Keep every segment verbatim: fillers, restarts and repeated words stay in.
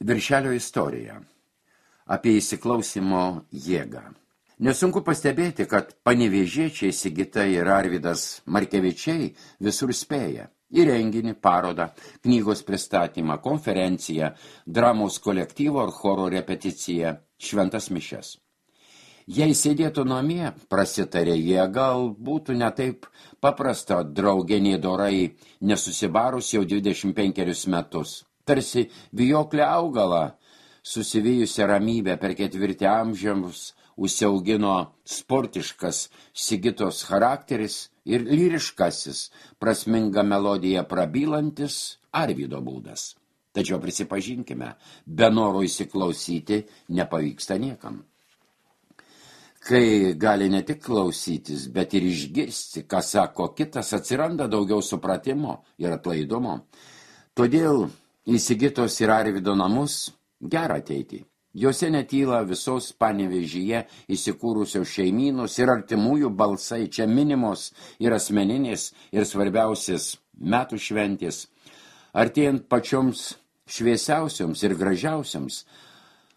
Viršelio istorija apie įsiklausimo jėgą. Nesunku pastebėti, kad panevėžiečiai Sigita ir Arvydas Markevičiai visur spėja. Į renginį, parodą, knygos pristatymą, konferenciją, dramos kolektyvo ar choro repeticiją, šventas mišias. Jei sėdėtų namie, prasitarė jie, gal būtų ne taip paprasta draugė dorai nesusibarus jau dvidešimt penkerius metus. Tarsi vijoklė augalą, susivijusią ramybę per ketvirtį amžiams, užsiaugino sportiškas Sigitos charakteris ir lyriškasis, prasminga melodija prabylantis Arvydo būdas. Tačiau prisipažinkime, be noro įsiklausyti nepavyksta niekam. Kai gali ne tik klausytis, bet ir išgirsti, ką sako kitas, atsiranda daugiau supratimo ir atlaidumo. Todėl į Sigitos ir Arvydo namus gera ateiti. Jose netyla visos Panevėžyje įsikūrusios šeimynos ir artimųjų balsai, čia minimos ir asmeninės, ir svarbiausias metų šventės. Artėjant pačioms šviesiausioms ir gražiausiams,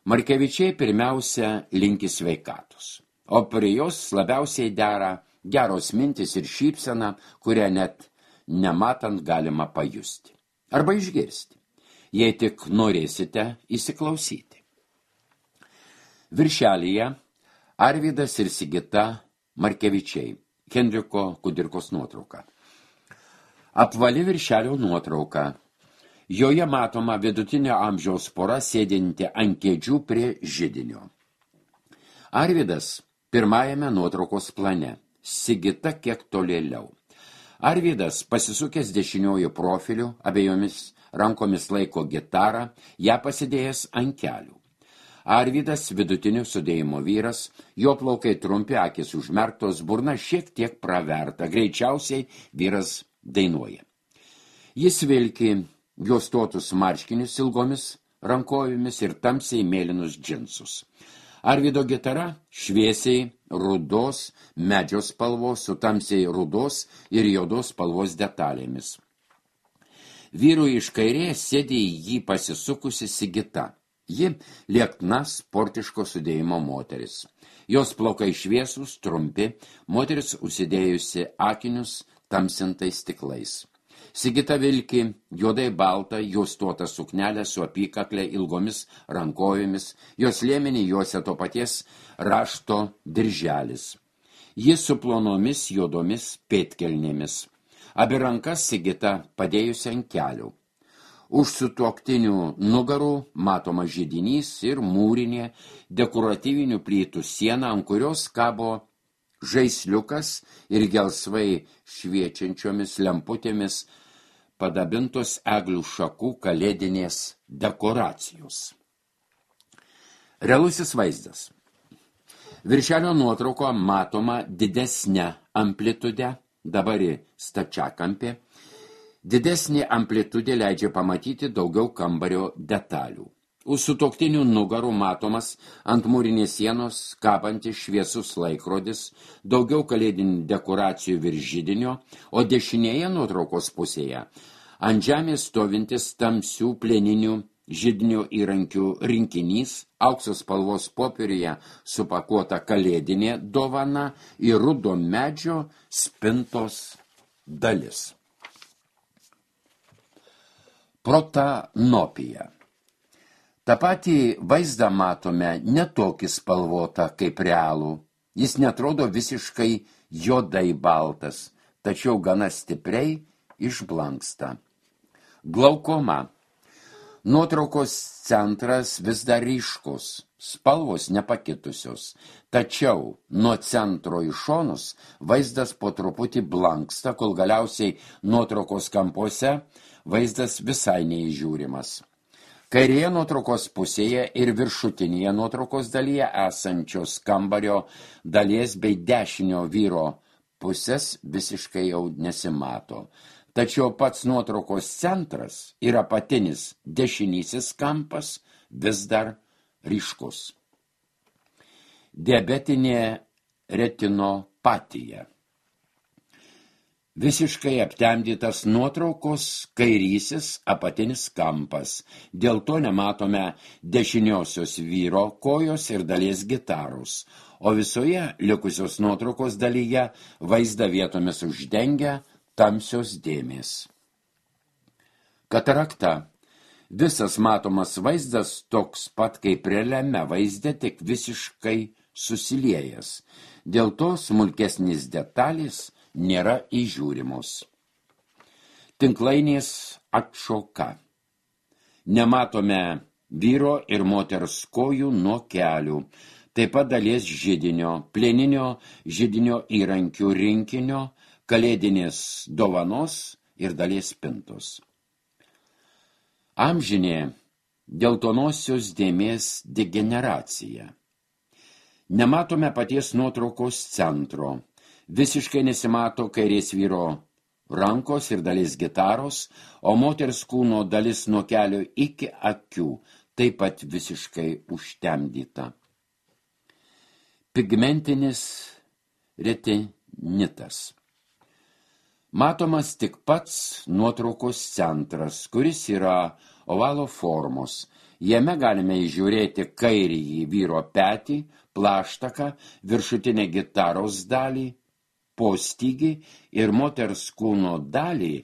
Markevičiai pirmiausia linki sveikatos. O prie jos labiausiai dera geros mintis ir šypsena, kurią net nematant galima pajusti. Arba išgirsti, jei tik norėsite įsiklausyti. Viršelyje Arvydas ir Sigita Markevičiai, Henriko Kudirkos nuotrauka. Apvali viršelio nuotrauka. Joje matoma vidutinio amžiaus pora sėdinti ant kėdžių prie židinio. Arvydas pirmajame nuotraukos plane, Sigita kiek tolėliau. Arvydas pasisukęs dešiniuoju profiliu, abiejomis rankomis laiko gitarą, ją pasidėjęs ant kelių. Arvydas vidutinio sudėjimo vyras, jo plaukai trumpi, akys užmerktos, burna šiek tiek praverta, greičiausiai vyras dainuoja. Jis vilki juostotus marškinius ilgomis rankovėmis ir tamsiai mėlynus džinsus. Arvydo gitara šviesiai rudos medžio spalvos su tamsiai rudos ir juodos spalvos detalėmis. Vyrui iš kairės sėdi į jį pasisukusi Sigita. Ji liekna sportiško sudėjimo moteris. Jos plaukai šviesūs, trumpi, moteris užsidėjusi akinius tamsintais stiklais. Sigita vilki juodai baltą juostuotą suknelę su apykaklė ilgomis rankovėmis, jos liemenį juosia to paties rašto dirželis. Jis su plonomis juodomis pėdkelnėmis. Abi rankas Sigita padėjusi ant kelių. Už sutuoktinių nugarų matoma židinys ir mūrinė dekoratyvinių plytų siena, ant kurios kabo žaisliukas ir gelsvai šviečiančiomis lemputėmis padabintos eglių šakų kalėdinės dekoracijos. Realusis vaizdas. Viršelio nuotrauko matoma didesnė amplitude, dabar stačiakampė. Didesnė amplitudė leidžia pamatyti daugiau kambario detalių. Už sutuoktinių nugarų matomas ant mūrinės sienos kabantis šviesus laikrodis, daugiau kalėdinių dekoracijų virš židinio, o dešinėje nuotraukos pusėje ant žemės stovintis tamsių plieninių židinio įrankių rinkinys, aukso spalvos popieriuje supakuota kalėdinė dovana ir rudo medžio spintos dalis. Protanopija. Ta patį vaizdą matome ne tokį spalvotą kaip realų. Jis netrodo visiškai juodai baltas, tačiau gana stipriai išblanksta. Glaukoma. Nuotraukos centras vis dar ryškus, spalvos nepakitusios, tačiau nuo centro į šonus vaizdas po truputį blanksta, kol galiausiai nuotraukos kampuose vaizdas visai neįžiūrimas. Kairėje nuotraukos pusėje ir viršutinėje nuotraukos dalyje esančios kambario dalies bei dešinio vyro pusės visiškai jau nesimato. Tačiau pats nuotraukos centras ir apatinis dešinysis kampas vis dar ryškus. Diabetinė retinopatija. visiškai aptemdytas nuotraukos kairysis apatinis kampas. Dėl to nematome dešiniosios vyro kojos ir dalies gitaros, o visoje likusios nuotraukos dalyje vaizdą vietomis uždengia tamsios dėmės. Katarakta. Visas matomas vaizdas toks pat kaip realiame vaizde, tik visiškai susiliejęs. Dėl to smulkesnis detalės nėra įžiūrimos. Tinklainės atšoka. Nematome vyro ir moters kojų nuo kelių, taip pat dalies židinio, plieninio židinio įrankių rinkinio, kalėdinės dovanos ir dalies spintos. Amžinė geltonosios dėmės degeneracija. Nematome paties nuotraukos centro. Visiškai nesimato kairės vyro rankos ir dalis gitaros, o moters kūno dalis nuo kelio iki akių taip pat visiškai užtemdyta. Pigmentinis retinitas. Matomas tik pats nuotraukos centras, kuris yra ovalo formos. Jame galime įžiūrėti kairįjį vyro petį, plaštaką, viršutinę gitaros dalį, postygį ir moters kūno dalį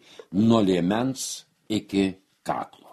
nuo liemens iki kaklo.